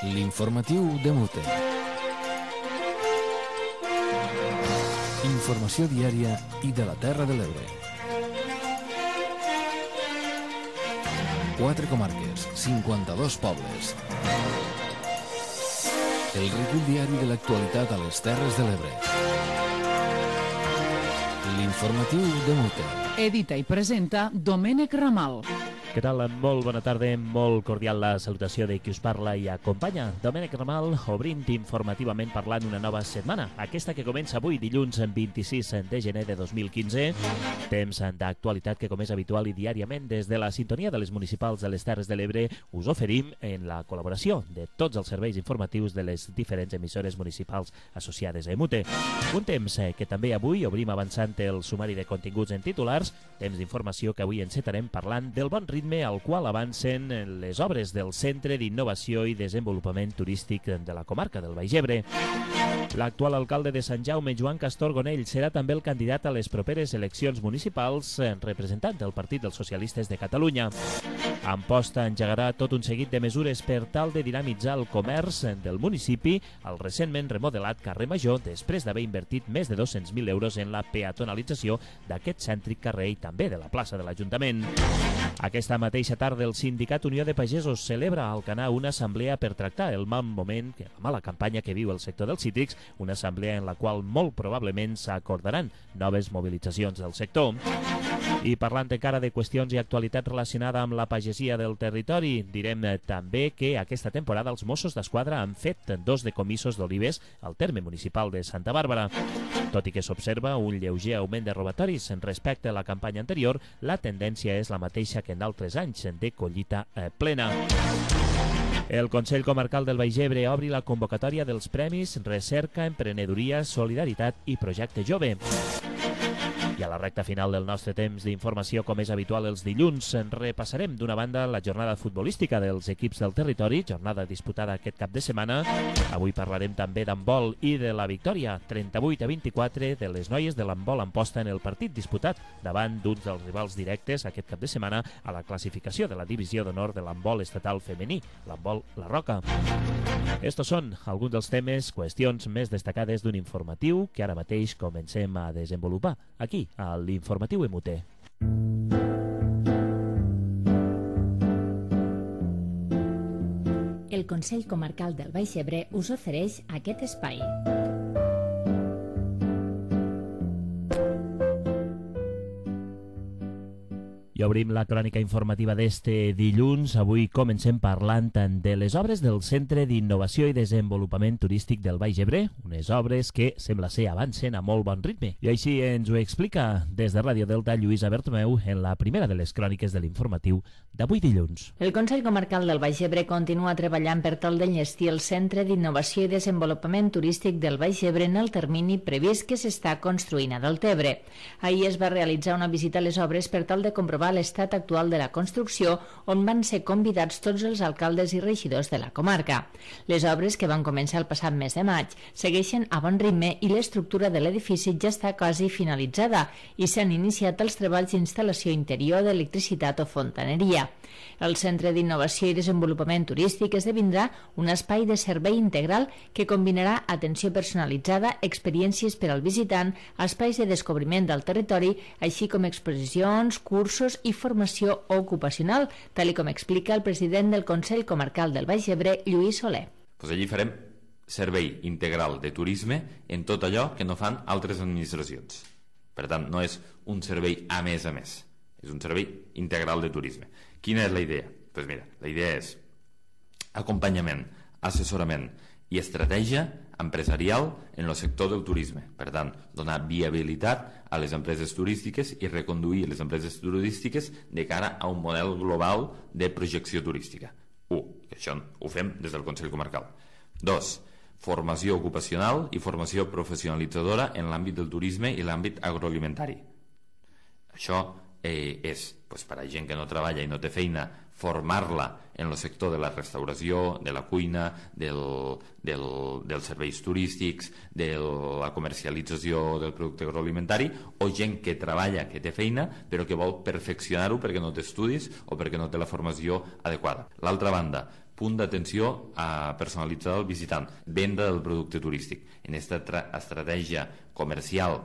L'informatiu de Mute. Informació diària i de la Terra de l'Ebre. 4 comarques, 52 pobles. El recull diari de l'actualitat a les Terres de l'Ebre. L'informatiu de Mute. Edita i presenta Domènec Ramal. Què tal? Molt bona tarda, molt cordial la salutació de qui us parla i acompanya. Domènec Ramal, obrint informativament parlant una nova setmana. Aquesta que comença avui, dilluns 26 de gener de 2015. Temps d'actualitat que, com és habitual i diàriament, des de la sintonia de les municipals de les Terres de l'Ebre, us oferim en la col·laboració de tots els serveis informatius de les diferents emissores municipals associades a EMUTE. Un temps que també avui obrim avançant el sumari de continguts en titulars, temps d'informació que avui encetarem parlant del bon ritme al qual avancen les obres del Centre d'Innovació i Desenvolupament Turístic de la comarca del Baix Ebre. L'actual alcalde de Sant Jaume, Joan Castor Gonell, serà també el candidat a les properes eleccions municipals representant del Partit dels Socialistes de Catalunya. Amposta engegarà tot un seguit de mesures per tal de dinamitzar el comerç del municipi al recentment remodelat carrer Major després d'haver invertit més de 200.000 euros en la peatonalització d'aquest cèntric carrer i també de la plaça de l'Ajuntament. Aquesta mateixa tarda el Sindicat Unió de Pagesos celebra a Alcanar una assemblea per tractar el mal moment, la mala campanya que viu el sector dels cítrics, una assemblea en la qual molt probablement s'acordaran noves mobilitzacions del sector. I parlant encara de qüestions i actualitat relacionada amb la pagesia del territori, direm també que aquesta temporada els Mossos d'Esquadra han fet 2 decomissos d'olives al terme municipal de Santa Bàrbara. Tot i que s'observa un lleuger augment de robatoris respecte a la campanya anterior, la tendència és la mateixa que en altres anys de collita plena. El Consell Comarcal del Baix Ebre obri la convocatòria dels premis Recerca, Emprenedoria, Solidaritat i Projecte Jove. I a la recta final del nostre temps d'informació, com és habitual els dilluns, repassarem d'una banda la jornada futbolística dels equips del territori, jornada disputada aquest cap de setmana. Avui parlarem també d'handbol i de la victòria 38-24 de les noies de l'handbol Amposta en el partit disputat davant d'uns dels rivals directes aquest cap de setmana a la classificació de la divisió d'honor de l'handbol estatal femení, l'handbol La Roca. Estos són alguns dels temes, qüestions més destacades d'un informatiu que ara mateix comencem a desenvolupar aquí, a l'Informatiu EMUTE. El Consell Comarcal del Baix Ebre us ofereix aquest espai. I obrim la crònica informativa d'este dilluns. Avui comencem parlant de les obres del Centre d'Innovació i Desenvolupament Turístic del Baix Ebre, unes obres que sembla ser avancen a molt bon ritme. I així ens ho explica des de Ràdio Delta Lluïsa Bertomeu en la primera de les cròniques de l'informatiu d'avui dilluns. El Consell Comarcal del Baix Ebre continua treballant per tal d'enllestir el Centre d'Innovació i Desenvolupament Turístic del Baix Ebre en el termini previst que s'està construint a Deltebre. Ahir es va realitzar una visita a les obres per tal de comprovar l'estat actual de la construcció, on van ser convidats tots els alcaldes i regidors de la comarca. Les obres, que van començar el passat mes de maig, segueixen a bon ritme i l'estructura de l'edifici ja està quasi finalitzada i s'han iniciat els treballs d'instal·lació interior d'electricitat o fontaneria. El Centre d'Innovació i Desenvolupament Turístic esdevindrà un espai de servei integral que combinarà atenció personalitzada, experiències per al visitant, espais de descobriment del territori, així com exposicions, cursos i formació ocupacional, tal com explica el president del Consell Comarcal del Baix Ebre, Lluís Soler. Allí farem servei integral de turisme en tot allò que no fan altres administracions. Per tant, no és un servei a més, és un servei integral de turisme. Quina és la idea? Doncs mira, la idea és acompanyament, assessorament i estratègia empresarial en el sector del turisme. Per tant, donar viabilitat a les empreses turístiques i reconduir les empreses turístiques de cara a un model global de projecció turística. 1. Que això ho fem des del Consell Comarcal. 2. Formació ocupacional i formació professionalitzadora en l'àmbit del turisme i l'àmbit agroalimentari. Això és per a gent que no treballa i no té feina, formar-la en el sector de la restauració, de la cuina, dels serveis turístics, de la comercialització del producte agroalimentari, o gent que treballa, que té feina, però que vol perfeccionar-ho perquè no té estudis o perquè no té la formació adequada. L'altra banda, punt d'atenció personalitzada al visitant, venda del producte turístic. En aquesta estratègia comercial,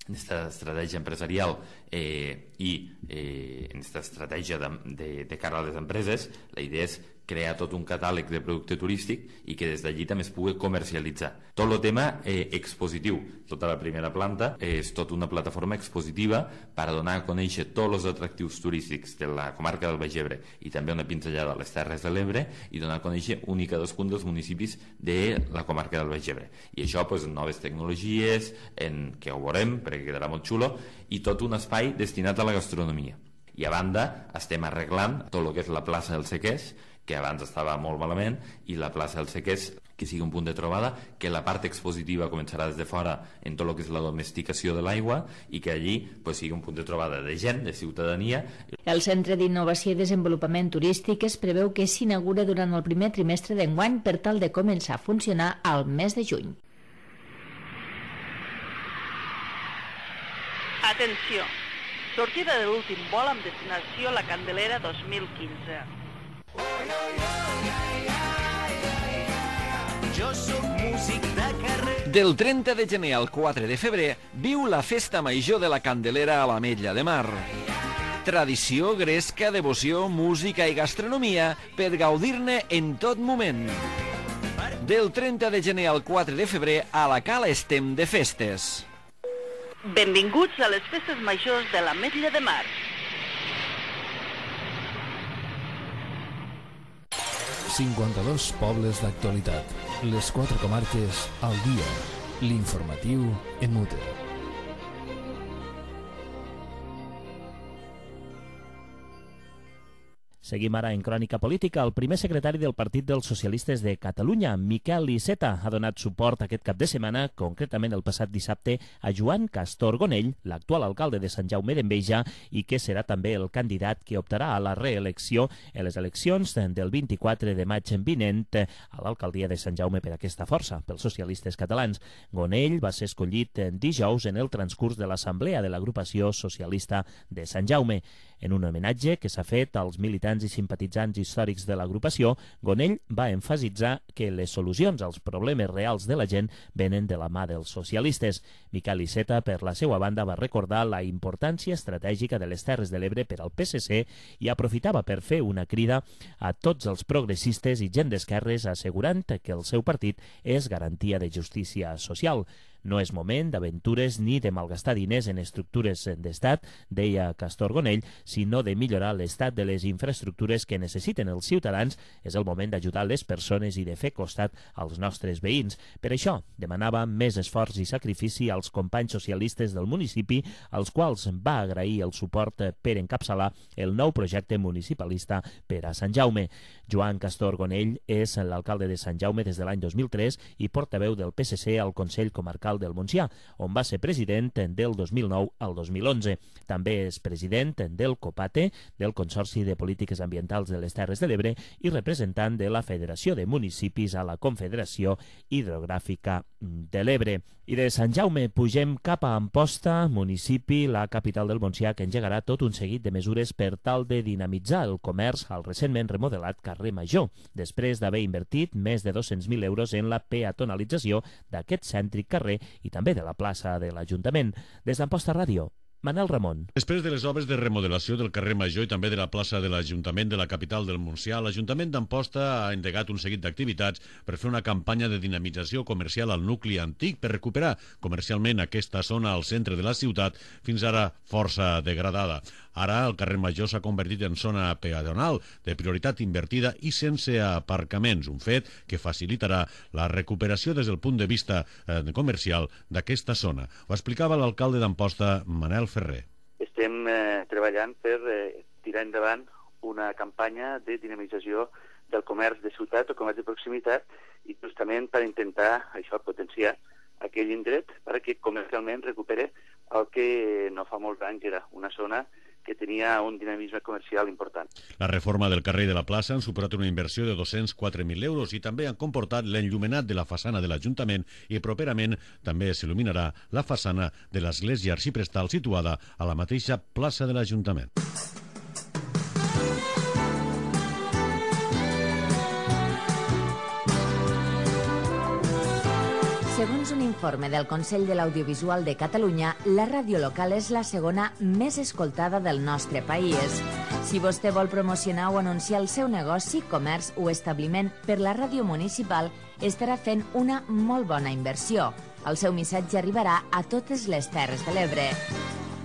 en aquesta estratègia empresarial i en aquesta estratègia de cara a les empreses, la idea és crear tot un catàleg de producte turístic i que des d'allí també es pugui comercialitzar. Tot el tema expositiu, tota la primera planta és tota una plataforma expositiva per a donar a conèixer tots els atractius turístics de la comarca del Baix Ebre i també una pinzellada a les Terres de l'Ebre i donar a conèixer un i cadascun dels municipis de la comarca del Baix Ebre. I això, doncs, noves tecnologies, que ho veurem perquè quedarà molt xulo, i tot un espai destinat a la gastronomia. I a banda estem arreglant tot el que és la plaça del Sequers, que abans estava molt malament, i la plaça del Sequers, que sigui un punt de trobada, que la part expositiva començarà des de fora en tot el que és la domesticació de l'aigua i que allí sigui un punt de trobada de gent, de ciutadania. El Centre d'Innovació i Desenvolupament Turístic es preveu que s'inaugura durant el primer trimestre d'enguany per tal de començar a funcionar al mes de juny. Atenció! Sortida de l'últim vol amb destinació La Candelera 2015. Jo soc músic de carrer. Del 30 de gener al 4 de febrer viu la Festa Major de la Candelera a l'Ametlla de Mar. Tradició, gresca, devoció, música i gastronomia per gaudir-ne en tot moment. Del 30 de gener al 4 de febrer a la Cala estem de festes. Benvinguts a les festes majors de l'Ametlla de Mar. 52 pobles d'actualitat. Les 4 comarques al dia. L'informatiu en Mute. Seguim ara en crònica política. El primer secretari del Partit dels Socialistes de Catalunya, Miquel Iceta, ha donat suport aquest cap de setmana, concretament el passat dissabte, a Joan Castor Gonell, l'actual alcalde de Sant Jaume d'Enveja, i que serà també el candidat que optarà a la reelecció en les eleccions del 24 de maig vinent a l'alcaldia de Sant Jaume per aquesta força, pels socialistes catalans. Gonell va ser escollit dijous en el transcurs de l'assemblea de l'agrupació socialista de Sant Jaume. En un homenatge que s'ha fet als militants i simpatitzants històrics de l'agrupació, Gonell va emfasitzar que les solucions als problemes reals de la gent venen de la mà dels socialistes. Miquel Iceta, per la seva banda, va recordar la importància estratègica de les Terres de l'Ebre per al PSC i aprofitava per fer una crida a tots els progressistes i gent d'esquerres assegurant que el seu partit és garantia de justícia social. No és moment d'aventures ni de malgastar diners en estructures d'estat, deia Castor Gonell, sinó de millorar l'estat de les infraestructures que necessiten els ciutadans. És el moment d'ajudar les persones i de fer costat als nostres veïns. Per això demanava més esforç i sacrifici als companys socialistes del municipi, als quals va agrair el suport per encapçalar el nou projecte municipalista per a Sant Jaume. Joan Castor Gonell és l'alcalde de Sant Jaume des de l'any 2003 i portaveu del PSC al Consell Comarcal del Montsià, on va ser president del 2009 al 2011. També és president del COPATE, del Consorci de Polítiques Ambientals de les Terres de l'Ebre, i representant de la Federació de Municipis a la Confederació Hidrogràfica de l'Ebre. I de Sant Jaume pugem cap a Amposta, municipi, la capital del Montsià, que engegarà tot un seguit de mesures per tal de dinamitzar el comerç al recentment remodelat carrer Major, després d'haver invertit més de 200.000 euros en la peatonalització d'aquest cèntric carrer i també de la plaça de l'Ajuntament. Des d'Amposta Ràdio, Manel Ramon. Després de les obres de remodelació del carrer Major i també de la plaça de l'Ajuntament de la capital del Montsià, l'Ajuntament d'Amposta ha endegat un seguit d'activitats per fer una campanya de dinamització comercial al nucli antic per recuperar comercialment aquesta zona al centre de la ciutat, fins ara força degradada. Ara el carrer Major s'ha convertit en zona peatonal de prioritat invertida i sense aparcaments, un fet que facilitarà la recuperació des del punt de vista comercial d'aquesta zona. Ho explicava l'alcalde d'Amposta, Manel Ferrer. Estem treballant per tirar endavant una campanya de dinamització del comerç de ciutat o comerç de proximitat i justament per intentar això potenciar aquell indret perquè comercialment recupere el que no fa molts anys era una zona que tenia un dinamisme comercial important. La reforma del carrer de la plaça han suposat una inversió de 204.000 euros i també han comportat l'enllumenat de la façana de l'Ajuntament i properament també s'il·luminarà la façana de l'església arxiprestal situada a la mateixa plaça de l'Ajuntament. Segons un informe del Consell de l'Audiovisual de Catalunya, la ràdio local és la segona més escoltada del nostre país. Si vostè vol promocionar o anunciar el seu negoci, comerç o establiment per la ràdio municipal, estarà fent una molt bona inversió. El seu missatge arribarà a totes les Terres de l'Ebre.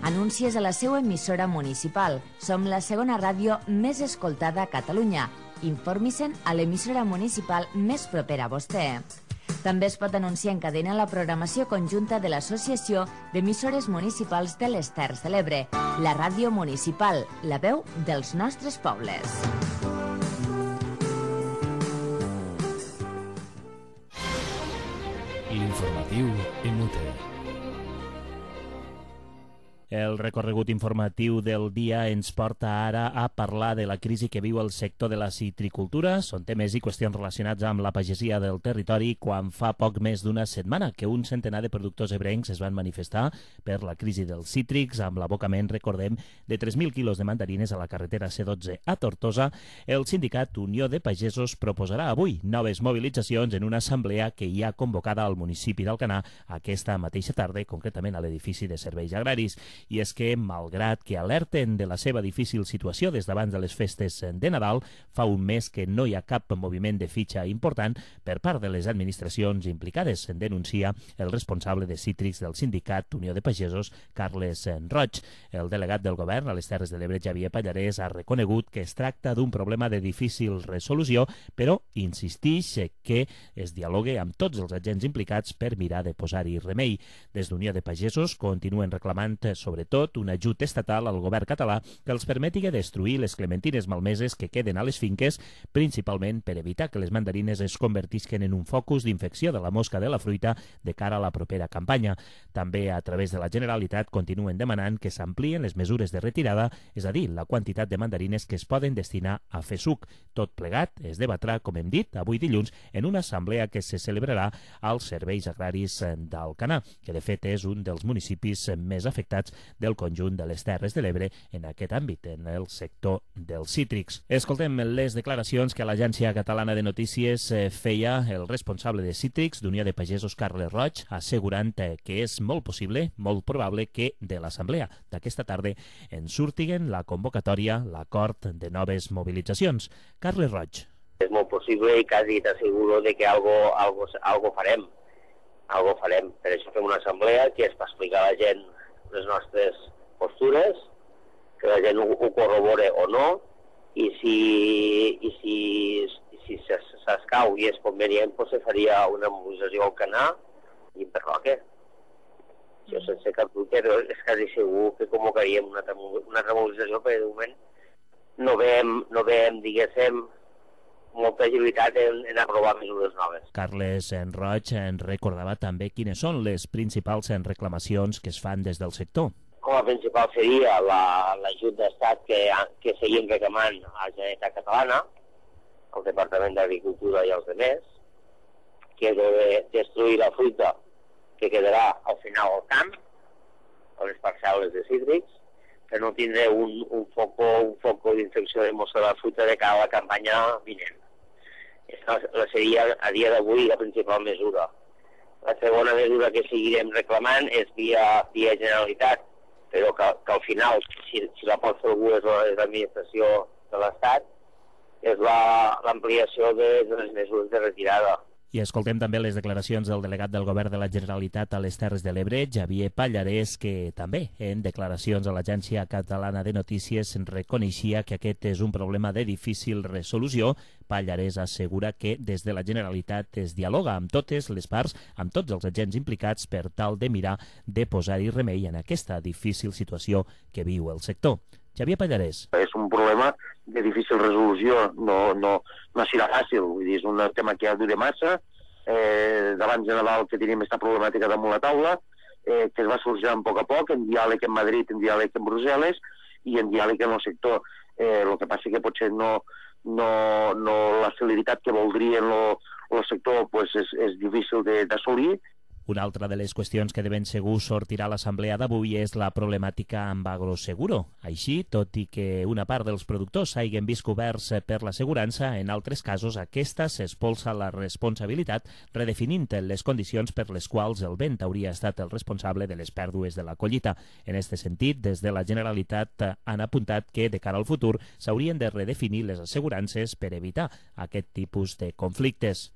Anuncies a la seva emissora municipal. Som la segona ràdio més escoltada a Catalunya. Informi-se'n a l'emissora municipal més propera a vostè. També es pot anunciar en cadena la programació conjunta de l'Associació d'Emissores Municipals de les Terres de l'Ebre, la ràdio municipal, la veu dels nostres pobles. L'informatiu en UTE. El recorregut informatiu del dia ens porta ara a parlar de la crisi que viu el sector de la citricultura. Són temes i qüestions relacionats amb la pagesia del territori quan fa poc més d'una setmana que un centenar de productors ebrencs es van manifestar per la crisi dels cítrics amb l'abocament, recordem, de 3.000 quilos de mandarines a la carretera C12 a Tortosa. El sindicat Unió de Pagesos proposarà avui noves mobilitzacions en una assemblea que hi ha convocada al municipi d'Alcanar aquesta mateixa tarda, concretament a l'edifici de serveis agraris. I és que, malgrat que alerten de la seva difícil situació des d'abans de les festes de Nadal, fa un mes que no hi ha cap moviment de fitxa important per part de les administracions implicades, en denuncia el responsable de cítrics del sindicat Unió de Pagesos, Carles Roig. El delegat del govern a les Terres de l'Ebre, Xavier Pallarès, ha reconegut que es tracta d'un problema de difícil resolució, però insistix que es dialogue amb tots els agents implicats per mirar de posar-hi remei. Des d'Unió de Pagesos continuen reclamant sobretot un ajut estatal al govern català que els permeti destruir les clementines malmeses que queden a les finques, principalment per evitar que les mandarines es convertisquen en un focus d'infecció de la mosca de la fruita de cara a la propera campanya. També, a través de la Generalitat, continuen demanant que s'amplien les mesures de retirada, és a dir, la quantitat de mandarines que es poden destinar a fer suc. Tot plegat es debatrà, com hem dit, avui dilluns, en una assemblea que se celebrarà als serveis agraris d'Alcanar, que de fet és un dels municipis més afectats del conjunt de les Terres de l'Ebre en aquest àmbit, en el sector dels cítrics. Escoltem les declaracions que l'Agència Catalana de Notícies feia el responsable de cítrics d'Unió de Pagesos, Carles Roig, assegurant que és molt possible, molt probable, que de l'assemblea d'aquesta tarda en surtiguen la convocatòria, l'acord de noves mobilitzacions. Carles Roig. És molt possible i quasi t'asseguro de que algo farem. Algo farem. Per això fem una assemblea que és per explicar a la gent les nostres postures, que la gent ho corrobore o no, i si s'escau i és convenient, doncs se faria una mobilització al Canà i per Roque. Això sense cap dubte, però és quasi segur que convocaríem una altra mobilització, perquè de moment no veiem, diguéssim, molta agilitat en aprovar mesures noves. Carles Roig recordava també quines són les principals reclamacions que es fan des del sector. Com a principal seria l'ajut d'estat que seguim reclamant a la Generalitat Catalana, al Departament d'Agricultura i als altres, que és de destruir la fruita que quedarà al final al camp, a les parcel·les de cítrics, per no tindre un foco d'infecció de mosca de la fruita de cara a la campanya vinent. Aquesta seria a dia d'avui la principal mesura. La segona mesura que seguirem reclamant és via Generalitat, però que al final, si la pot fer algú és l'administració de l'Estat, és l'ampliació de les mesures de retirada. I escoltem també les declaracions del delegat del Govern de la Generalitat a les Terres de l'Ebre, Xavier Pallarès, que també en declaracions a l'Agència Catalana de Notícies reconeixia que aquest és un problema de difícil resolució. Pallarès assegura que des de la Generalitat es dialoga amb totes les parts, amb tots els agents implicats per tal de mirar de posar-hi remei en aquesta difícil situació que viu el sector. Xavier Pallarès. És un problema de difícil resolució, no serà fàcil, vull dir, és un tema que ja dura massa, d'abans de Nadal que tenim aquesta problemàtica damunt la taula, que es va sorgint a poc, en diàleg en Madrid, en diàleg en Brussel·les i en diàleg en el sector. El que passa que potser no la celeritat que voldria el sector és difícil d'assolir, Una altra de les qüestions que de ben segur sortirà a l'assemblea d'avui és la problemàtica amb Agroseguro. Així, tot i que una part dels productors hagin vist coberts per l'assegurança, en altres casos aquesta s'espolsa la responsabilitat redefinint les condicions per les quals el vent hauria estat el responsable de les pèrdues de la collita. En aquest sentit, des de la Generalitat han apuntat que de cara al futur s'haurien de redefinir les assegurances per evitar aquest tipus de conflictes.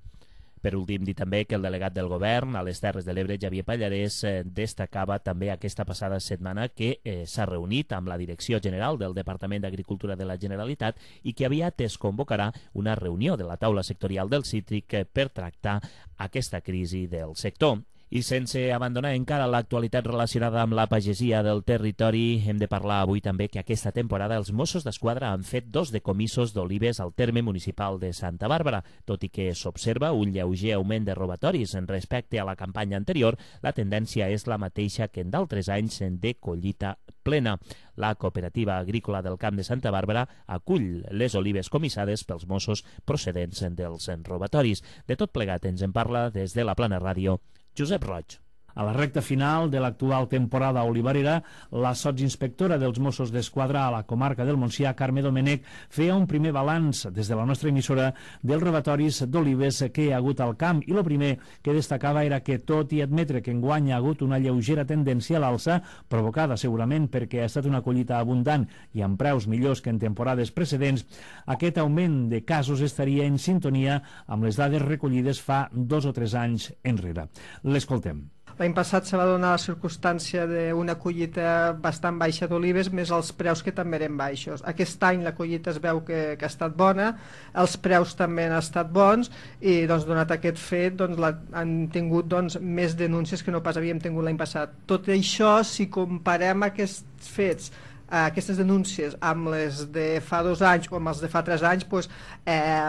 Per últim, dir també que el delegat del govern a les Terres de l'Ebre, Xavier Pallarès, destacava també aquesta passada setmana que s'ha reunit amb la Direcció General del Departament d'Agricultura de la Generalitat i que aviat es convocarà una reunió de la taula sectorial del cítric per tractar aquesta crisi del sector. I sense abandonar encara l'actualitat relacionada amb la pagesia del territori, hem de parlar avui també que aquesta temporada els Mossos d'Esquadra han fet 2 decomissos d'olives al terme municipal de Santa Bàrbara. Tot i que s'observa un lleuger augment de robatoris en respecte a la campanya anterior, la tendència és la mateixa que en d'altres anys de collita plena. La Cooperativa Agrícola del Camp de Santa Bàrbara acull les olives comissades pels Mossos procedents dels robatoris. De tot plegat ens en parla des de la Plana Ràdio Josep Roig. A la recta final de l'actual temporada olivarera, la sotsinspectora dels Mossos d'Esquadra a la comarca del Montsià, Carme Domènech, feia un primer balanç des de la nostra emissora dels robatoris d'olives que hi ha hagut al camp, i el primer que destacava era que, tot i admetre que enguany ha hagut una lleugera tendència a l'alça, provocada segurament perquè ha estat una collita abundant i amb preus millors que en temporades precedents, aquest augment de casos estaria en sintonia amb les dades recollides fa 2 o 3 anys enrere. L'escoltem. L'any passat se va donar la circumstància d'una collita bastant baixa d'olives, més els preus que també eren baixos. Aquest any la collita es veu que ha estat bona, els preus també han estat bons i donat aquest fet han tingut més denúncies que no pas havíem tingut l'any passat. Tot això, si comparem aquests fets, aquestes denúncies amb les de fa 2 anys o amb els de fa 3 anys,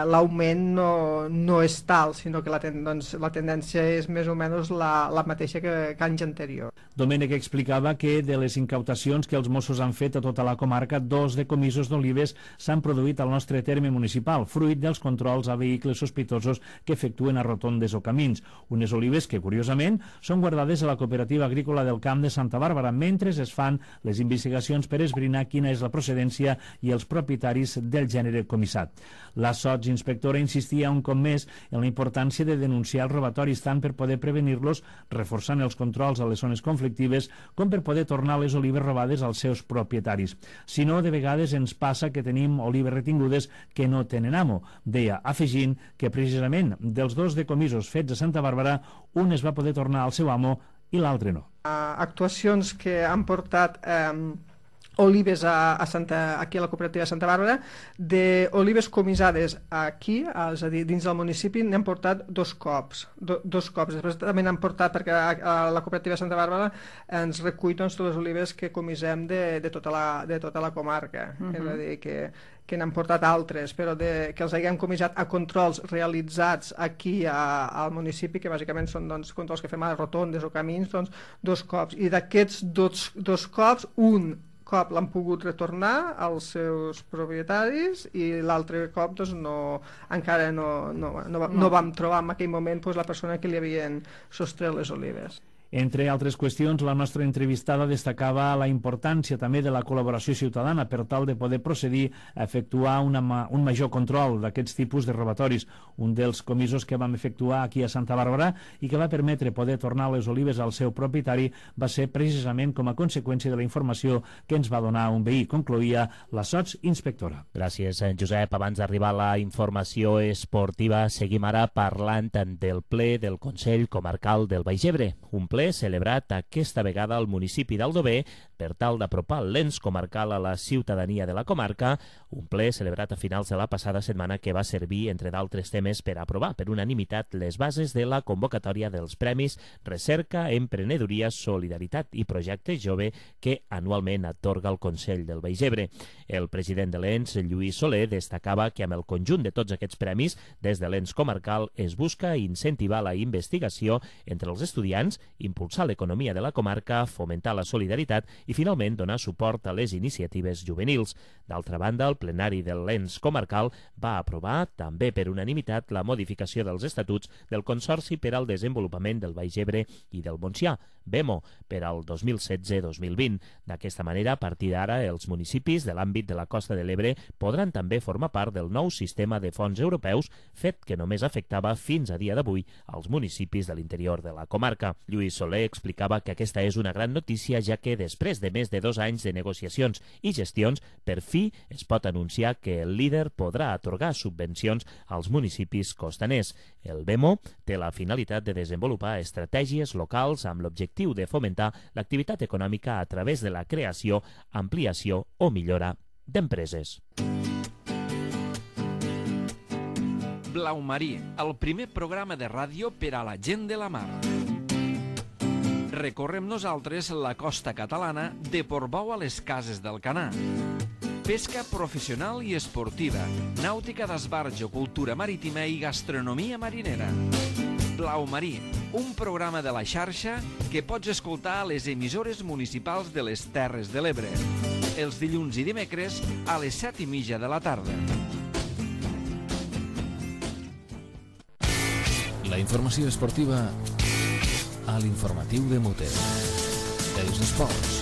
l'augment no és tal, sinó que la tendència és més o menys la mateixa que anys anterior. Domènech explicava que de les incautacions que els Mossos han fet a tota la comarca, 2 decomissos d'olives s'han produït al nostre terme municipal, fruit dels controls a vehicles sospitosos que efectuen a rotondes o camins. Unes olives que, curiosament, són guardades a la Cooperativa Agrícola del Camp de Santa Bàrbara, mentre es fan les investigacions per esbrinar quina és la procedència i els propietaris del gènere comissat. La sotsinspectora insistia un cop més en la importància de denunciar els robatoris, tant per poder prevenir-los, reforçant els controls a les zones conflictives, com per poder tornar les olives robades als seus propietaris. Si no, de vegades ens passa que tenim olives retingudes que no tenen amo, deia, afegint que precisament dels 2 decomissos fets a Santa Bàrbara, un es va poder tornar al seu amo i l'altre no. Actuacions que han portat olives aquí a la cooperativa de Santa Bàrbara, d'olives comissades aquí, és a dir, dins del municipi, n'hem portat 2 cops. 2 cops. Després també n'hem portat, perquè a la cooperativa de Santa Bàrbara ens recull totes les olives que comissem de tota la comarca. És a dir, que n'han portat altres, però que els haguem comissat a controls realitzats aquí al municipi, que bàsicament són controls que fem a rotondes o camins, 2 cops. I d'aquests 2 cops, un cop l'han pogut retornar als seus propietaris i l'altre cop encara no vam trobar en aquell moment la persona que li havien sostret les olives. Entre altres qüestions, la nostra entrevistada destacava la importància també de la col·laboració ciutadana per tal de poder procedir a efectuar un major control d'aquests tipus de robatoris. Un dels comissos que vam efectuar aquí a Santa Bàrbara i que va permetre poder tornar les olives al seu propietari va ser precisament com a conseqüència de la informació que ens va donar un veí, concloïa la sotsinspectora. Gràcies, Josep. Abans d'arribar a la informació esportiva, seguim ara parlant del ple del Consell Comarcal del Baix Ebre. Un ple celebrat aquesta vegada al municipi d'Aldover per tal d'apropar l'ens comarcal a la ciutadania de la comarca, un ple celebrat a finals de la passada setmana que va servir, entre d'altres temes, per aprovar per unanimitat les bases de la convocatòria dels Premis Recerca, Emprenedoria, Solidaritat i Projecte Jove que anualment atorga el Consell del Baix Ebre. El president de l'ens, Lluís Soler, destacava que amb el conjunt de tots aquests premis, des de l'ens comarcal es busca incentivar la investigació entre els estudiants, impulsar l'economia de la comarca, fomentar la solidaritat i finalment donar suport a les iniciatives juvenils. D'altra banda, el plenari del l'ens comarcal va aprovar, també per unanimitat, la modificació dels estatuts del Consorci per al Desenvolupament del Baix Ebre i del Montsià, BEMO, per al 2016-2020. D'aquesta manera, a partir d'ara, els municipis de l'àmbit de la Costa de l'Ebre podran també formar part del nou sistema de fons europeus, fet que només afectava fins a dia d'avui als municipis de l'interior de la comarca. Lluís Soler explicava que aquesta és una gran notícia, ja que després de més de 2 anys de negociacions i gestions, per fi es pot anunciar que el líder podrà atorgar subvencions als municipis costaners. El BEMO té la finalitat de desenvolupar estratègies locals amb l'objectiu de fomentar l'activitat econòmica a través de la creació, ampliació o millora d'empreses. Blau Marí, el primer programa de ràdio per a la gent de la mar. Recorrem nosaltres la costa catalana de Portbou a les Cases d'Alcanar. Pesca professional i esportiva, nàutica d'esbarjo, cultura marítima i gastronomia marinera. Blau Marí, un programa de la xarxa que pots escoltar a les emissores municipals de les Terres de l'Ebre. Els dilluns i dimecres a les 7:30 de la tarda. La informació esportiva a l'informatiu de Muter. Els esports.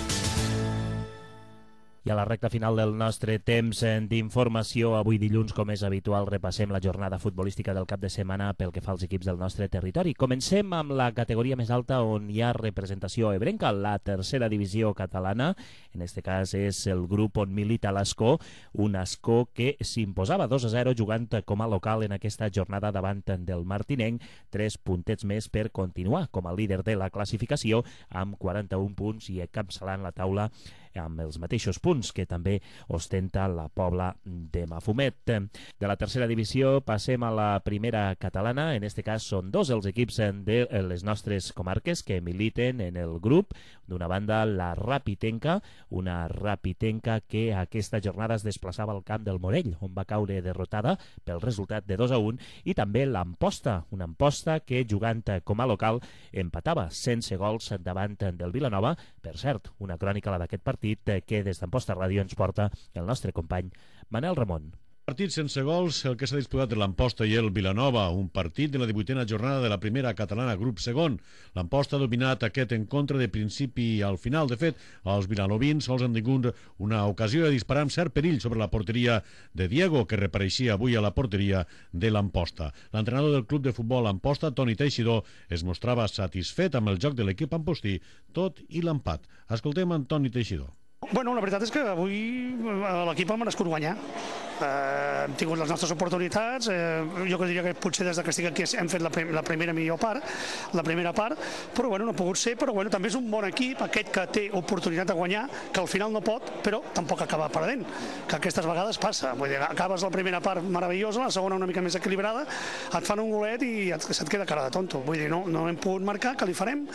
I a la recta final del nostre temps d'informació, avui dilluns, com és habitual, repassem la jornada futbolística del cap de setmana pel que fa als equips del nostre territori. Comencem amb la categoria més alta on hi ha representació ebrenca, la tercera divisió catalana. En aquest cas és el grup on milita l'Ascó, un Ascó que s'imposava 2-0 jugant com a local en aquesta jornada davant del Martinenc, 3 puntets més per continuar com a líder de la classificació amb 41 punts i encapçalant la taula amb els mateixos punts que també ostenta la Pobla de Mafumet. De la tercera divisió passem a la primera catalana. En aquest cas són 2 els equips de les nostres comarques que militen en el grup. D'una banda, la Rapitenca, una Rapitenca que aquesta jornada es desplaçava al camp del Morell, on va caure derrotada pel resultat de 2-1, i també l'Amposta, una Amposta que jugant com a local empatava sense gols davant del Vilanova. Per cert, una crònica la d'aquest partit que des d'Amposta Ràdio ens porta el nostre company Manel Ramon. Partit sense gols, el que s'ha disputat de l'Amposta i el Vilanova, un partit de la 18a jornada de la primera catalana grup segon. L'Amposta ha dominat aquest encontre de principi al final. De fet, els vilanovins sols han tingut una ocasió de disparar amb cert perill sobre la porteria de Diego, que repareixia avui a la porteria de l'Amposta. L'entrenador del club de futbol Amposta, Toni Teixidor, es mostrava satisfet amb el joc de l'equip ampostí, tot i l'empat. Escoltem en Toni Teixidor. Bueno, la veritat és que avui l'equip ha merescut guanyar. Hem tingut les nostres oportunitats. Jo diria que potser des que estic aquí hem fet la primera millor part, la primera part, però bueno, no ha pogut ser. Però bueno, també és un bon equip, aquest que té oportunitat de guanyar, que al final no pot, però tampoc acaba perdent, que aquestes vegades passa. Vull dir, acabes la primera part meravellosa, la segona una mica més equilibrada, et fan un golet i se't queda cara de tonto. Vull dir, no hem pogut marcar, que li farem,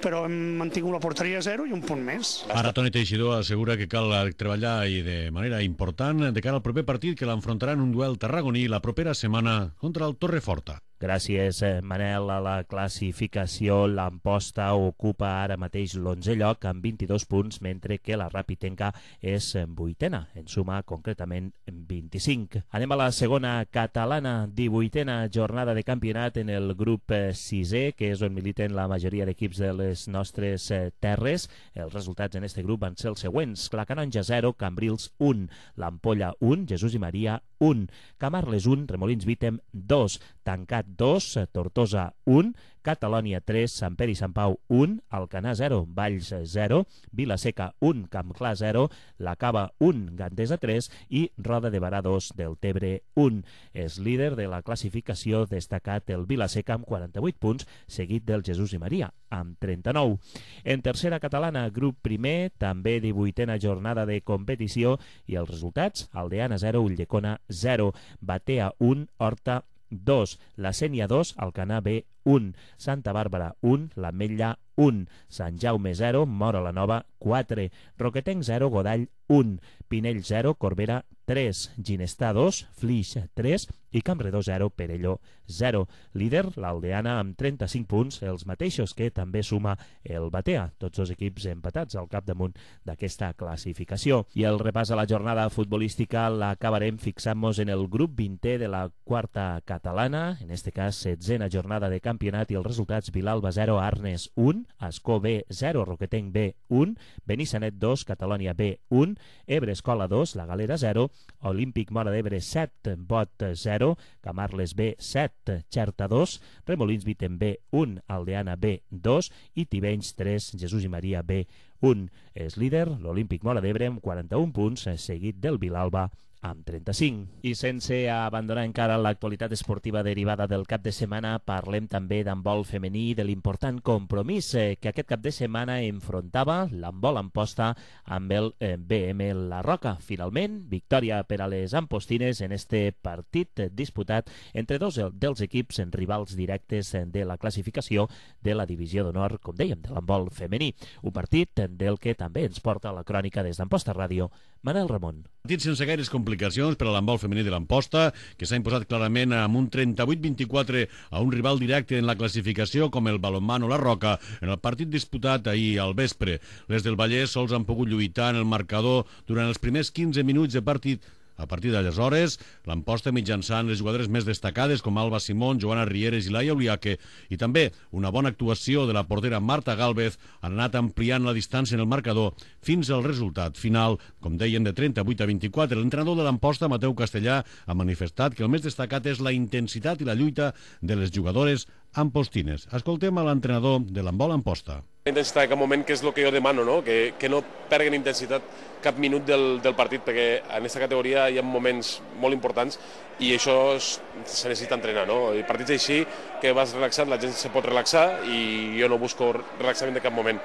però hem mantingut la porteria a 0 i un punt més. Ara Toni Teixidor assegura que cal treballar i de manera important de cara al proper partit, que l'enfrontarà en un duel tarragoní la propera setmana contra el Torreforta. Gràcies, Manel. A la classificació, l'Amposta ocupa ara mateix l'11è lloc amb 22 punts, mentre que la Rapitenca és 8a, en suma concretament 25. Anem a la segona catalana, 18a jornada de campionat en el grup 6è, que és on militen la majoria d'equips de les nostres terres. Els resultats en aquest grup van ser els següents: la Canonja 0, Cambrils 1, l'Ampolla 1, Jesús i Maria 1, Camarles 1, Remolins Vítem 2, Tancat 2, Tortosa 1, Catalònia 3, Sant Pere i Sant Pau 1, Alcanar 0, Valls 0, Vilaseca 1, Campclar 0, La Cava 1, Gandesa 3 i Roda de Barà 2, Deltebre 1. És líder de la classificació destacat el Vilaseca amb 48 punts, seguit del Jesús i Maria amb 39. En tercera catalana, grup primer, també 18a jornada de competició, i els resultats: Aldeana 0, Ulldecona 0, Batea 1, Horta 2, la Sénia 2, Alcanar B 1, Santa Bàrbara 1, l'Ametlla 1, Sant Jaume 0, Móra la Nova 4, Roquetenc 0, Godall 1, Pinell 0, Corbera 3, Ginestar 2, Flix 3 i Campredó 0, Perelló 0. Líder, l'Aldeana amb 35 punts, els mateixos que també suma el Batea, tots dos equips empatats al capdamunt d'aquesta classificació. I el repàs a la jornada futbolística l'acabarem fixant-nos en el grup 20è de la quarta catalana, en este cas 16a jornada de campionat, i els resultats: Vilalba 0, Arnes 1, Ascó B 0, Roquetenc B 1, Benissanet 2, Catalònia B 1, Ebre Escola 2, La Galera 0, Olímpic Móra d'Ebre 7, Bot 0, Camarles B 7, Xerta 2, Remolins Vitem B 1, Aldeana B 2 i Tivenys 3, Jesús i Maria B 1. És líder l'Olímpic Móra d'Ebre amb 41 punts, seguit del Vilalba amb 35. I sense abandonar encara l'actualitat esportiva derivada del cap de setmana, parlem també d'handbol femení, de l'important compromís que aquest cap de setmana enfrontava l'handbol Amposta amb el BM La Roca. Finalment, victòria per a les ampostines en este partit disputat entre dos dels equips rivals directes de la classificació de la divisió d'honor, com dèiem, de l'handbol femení. Un partit del que també ens porta la crònica des d'Amposta Ràdio, Manel Ramon. Partit sense gaires complicacions per a l'handbol femení de l'Amposta, que s'ha imposat clarament amb un 38-24 a un rival directe en la classificació com el balonmano La Roca en el partit disputat ahir al vespre. Les del Vallès sols han pogut lluitar en el marcador durant els primers 15 minuts de partit. A partir d'aleshores, l'Amposta mitjançant les jugadores més destacades com Alba Simón, Joana Rieres i Laia Uliaque, i també una bona actuació de la portera Marta Gálvez, han anat ampliant la distància en el marcador fins al resultat final, com dèiem, de 38-24. L'entrenador de l'Amposta, Mateu Castellà, ha manifestat que el més destacat és la intensitat i la lluita de les jugadores ampostines. Escoltem a l'entrenador de l'handbol Amposta. La intensitat en cap moment, que és el que jo demano, no? Que no perguen intensitat cap minut del partit, perquè en aquesta categoria hi ha moments molt importants i això se necessita entrenar, no? I partits així, que vas relaxat, la gent se pot relaxar i jo no busco relaxament de cap moment.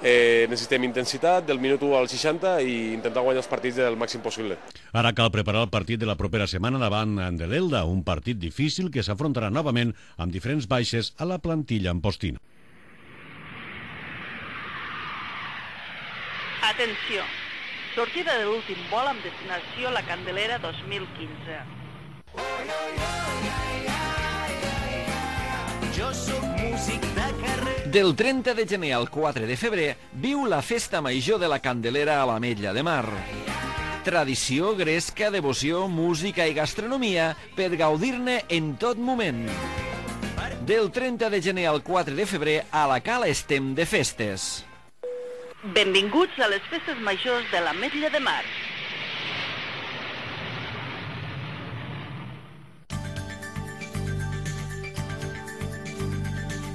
Necessitem intensitat del minut 1 al 60 i intentar guanyar els partits del màxim possible. Ara cal preparar el partit de la propera setmana davant de l'Elda, un partit difícil que s'afrontarà novament amb diferents baixes a la plantilla ampostina. Atenció! Sortida de l'últim vol amb destinació La Candelera 2015. Jo soc músic de carrer. Del 30 de gener al 4 de febrer viu la Festa Major de la Candelera a l'Ametlla de Mar. Tradició, gresca, devoció, música i gastronomia per gaudir-ne en tot moment. Del 30 de gener al 4 de febrer a la Cala estem de festes. Benvinguts a les festes majors de l'Ametlla de Mar.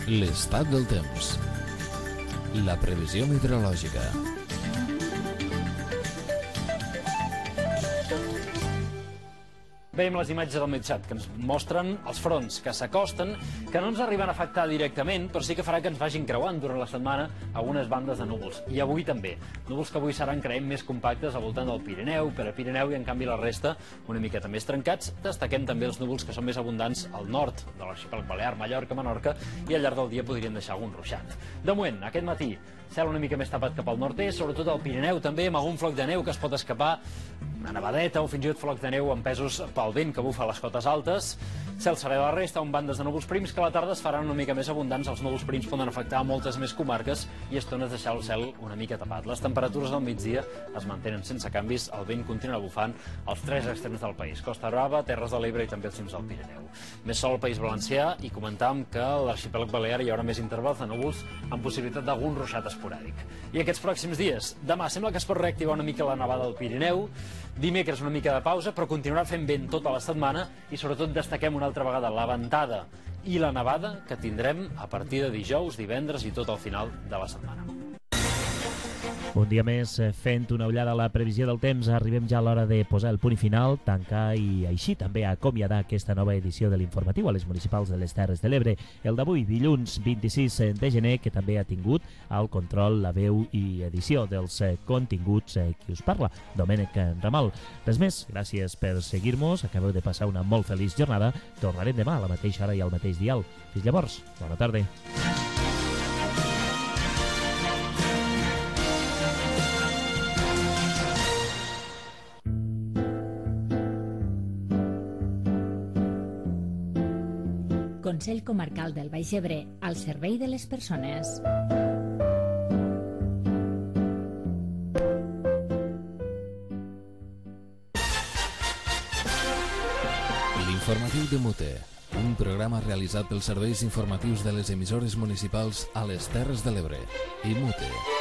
L'estat del temps. La previsió meteorològica. Veiem les imatges del Metxat, que ens mostren els fronts que s'acosten, que no ens arriben a afectar directament, però sí que farà que ens vagin creuant durant la setmana algunes bandes de núvols. I avui també. Núvols que avui seran, creiem, més compactes al voltant del Pirineu, per a Pirineu, i en canvi la resta una miqueta més trencats. Destaquem també els núvols que són més abundants al nord de l'arxipèlag Balear, Mallorca, Menorca, i al llarg del dia podrien deixar algun ruixat. De moment, aquest matí, cel una mica més tapat cap al nord-est, sobretot al Pirineu també, amb algun floc de neu que es pot escapar, una nevadeta o fins i tot floc de neu empesos pel vent que bufa a les cotes altes. Cel serè a la resta, amb bandes de núvols prims que a la tarda es faran una mica més abundants. Els núvols prims poden afectar moltes més comarques i estones deixar el cel una mica tapat. Les temperatures al migdia es mantenen sense canvis, el vent continua bufant als tres extrems del país, Costa Brava, Terres de l'Ebre i també els cims del Pirineu. Més sol al País Valencià, i comentàvem que a l'arxipèlag Balear hi haurà més intervals de núvols amb possibilitat d'algun ruixat esporàdic. I aquests pròxims dies, demà sembla que es pot reactivar una mica la nevada al Pirineu, dimecres una mica de pausa, però continuarà fent vent tota la setmana i sobretot destaquem una altra vegada la ventada i la nevada que tindrem a partir de dijous, divendres i tot al final de la setmana. Un dia més fent una ullada a la previsió del temps, arribem ja a l'hora de posar el punt final, tancar i així també acomiadar aquesta nova edició de l'informatiu a les municipals de les Terres de l'Ebre. El d'avui, dilluns 26 de gener, que també ha tingut al control, la veu i edició dels continguts qui us parla, Domènec Ramal. Res més, gràcies per seguir-nos, acabeu de passar una molt feliç jornada, tornarem demà a la mateixa hora i al mateix dial. Fins llavors, bona tarda. Consell Comarcal del Baix Ebre, al servei de les persones. L'informatiu de Mute, un programa realitzat pels serveis informatius de les emissores municipals a les Terres de l'Ebre i Mute.